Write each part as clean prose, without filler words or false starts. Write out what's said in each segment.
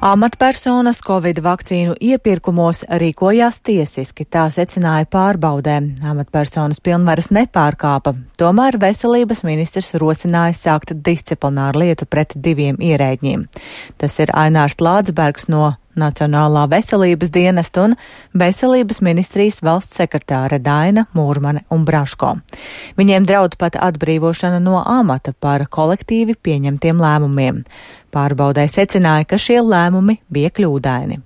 Amatpersonas Covid vakcīnu iepirkumos rīkojās tiesiski, tā secināja pārbaudē. Amatpersonas pilnvaras nepārkāpa, tomēr veselības ministrs rosināja sākt disciplināru lietu pret 2 ierēģiem. Tas ir Ainārs Lādzbergs no Nacionālā veselības dienesta un Veselības ministrijas valsts sekretāre Daina Mūrmane un Braško. Viņiem draud pat atbrīvošana no amata par kolektīvi pieņemtiem lēmumiem. Pārbaudē secināja, ka šie lēmumi bija kļūdaini.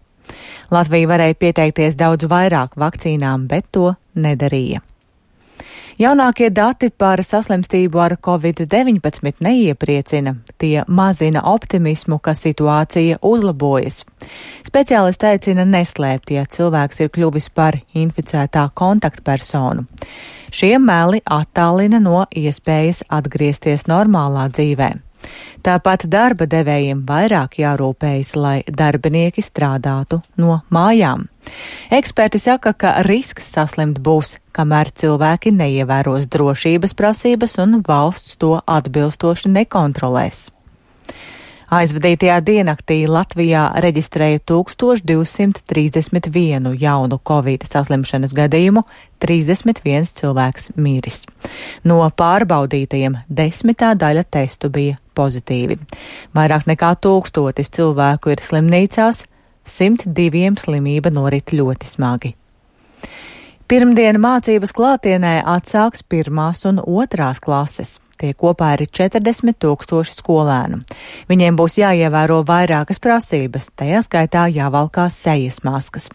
Latvija varēja pieteikties daudz vairāk vakcīnām, bet to nedarīja. Jaunākie dati par saslimstību ar Covid-19 neiepriecina, tie mazina optimismu, ka situācija uzlabojas. Speciālisti aicina neslēpt, ja cilvēks ir kļuvis par inficētā kontaktpersonu. Šie meli attālina no iespējas atgriezties normālā dzīvē. Tāpat darba devējiem vairāk jārūpējas, lai darbinieki strādātu no mājām. Eksperti saka, ka risks saslimt būs, kamēr cilvēki neievēros drošības prasības un valsts to atbilstoši nekontrolēs. Aizvadītajā diennaktī Latvijā reģistrēja 1231 jaunu Covid saslimšanas gadījumu, 31 cilvēks miris. No pārbaudītajiem 10. daļa testu bija pozitīvi. Vairāk nekā 1000 cilvēku ir slimnīcās, 102 slimība norit ļoti smagi. Pirmdien mācības klātienē atsāks 1. un 2. klases. Tie kopā ir 40 000 skolēnu. Viņiem būs jāievēro vairākas prasības, tajā skaitā jāvalkās sejas maskas.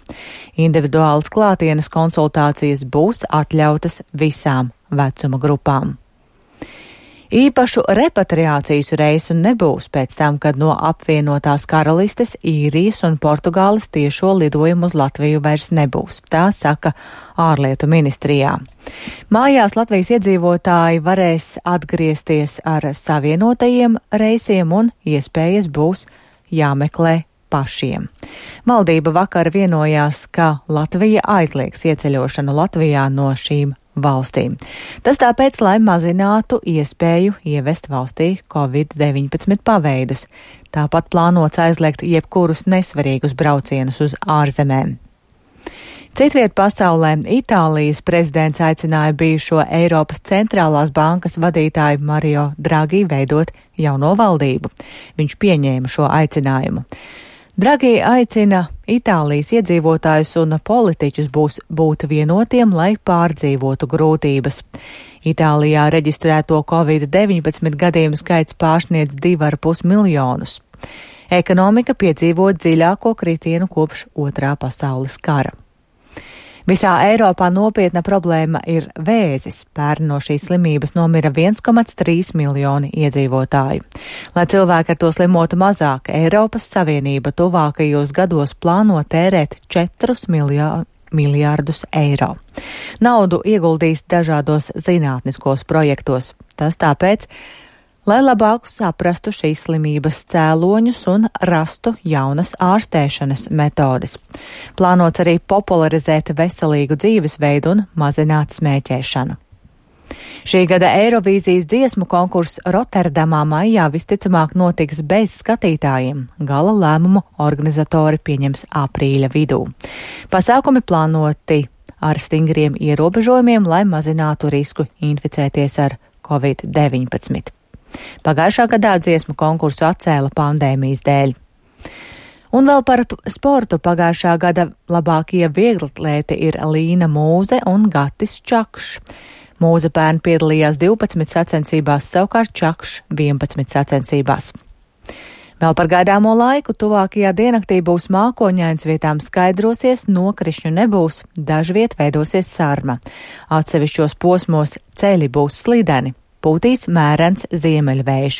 Individuālas klātienes konsultācijas būs atļautas visām vecuma grupām. Īpašu repatriācijas reisu nebūs pēc tam, kad no apvienotās karalistes, Īrijas un Portugāles tiešo lidojumu uz Latviju vairs nebūs, tā saka ārlietu ministrijā. Mājās Latvijas iedzīvotāji varēs atgriezties ar savienotajiem reisiem un iespējas būs jāmeklē pašiem. Valdība vakar vienojās, ka Latvija aizliegs ieceļošanu Latvijā no šīm valstīm. Tas tāpēc, lai mazinātu iespēju ievest valstī Covid-19 paveidus. Tāpat plānots aizliegt jebkurus nesvarīgus braucienus uz ārzemēm. Citviet pasaulē Itālijas prezidents aicināja bijušo Eiropas centrālās bankas vadītāju Mario Draghi veidot jauno valdību. Viņš pieņēma šo aicinājumu. Draghi aicina Itālijas iedzīvotājus un politiķus būt vienotiem, lai pārdzīvotu grūtības. Itālijā reģistrēto Covid-19 gadījumu skaits pārsniedz 2,5 miljonus. Ekonomika piedzīvo dziļāko kritienu kopš Otrā pasaules kara. Visā Eiropā nopietna problēma ir vēzis. Pērn no šīs slimības nomira 1,3 miljoni iedzīvotāju. Lai cilvēki ar to slimotu mazāk, Eiropas Savienība tuvākajos gados plāno tērēt 4 miljārdus eiro. Naudu ieguldīs dažādos zinātniskos projektos. Tas tāpēc, lai labāk saprastu šīs slimības cēloņus un rastu jaunas ārstēšanas metodes. Plānots arī popularizēt veselīgu dzīvesveidu un mazināt smēķēšanu. Šī gada Eirovīzijas dziesmu konkurss Rotterdamā maijā visticamāk notiks bez skatītājiem. Gala lēmumu organizatori pieņems aprīļa vidū. Pasākumi plānoti ar stingriem ierobežojumiem, lai mazinātu risku inficēties ar Covid-19. Pagājušā gadā dziesmu konkursu atcēla pandēmijas dēļ. Un vēl par sportu pagājušā gada labākie vieglatlēti ir Līna Mūze un Gatis Čakšs. Mūze pērn piedalījās 12 sacensībās, savukārt Čakšs 11 sacensībās. Vēl par gaidāmo laiku tuvākajā diennaktī būs mākoņains, vietām skaidrosies, nokrišņu nebūs, dažviet veidosies sarma. Atsevišķos posmos ceļi būs slideni. Pūtīs mērens ziemeļvējš.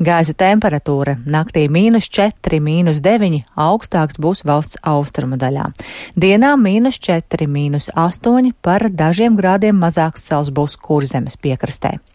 Gaisa temperatūra naktī -4, -9, augstāks būs valsts austrumu daļā. Dienā -4, -8, par dažiem grādiem mazāks sals būs Kurzemes piekrastē.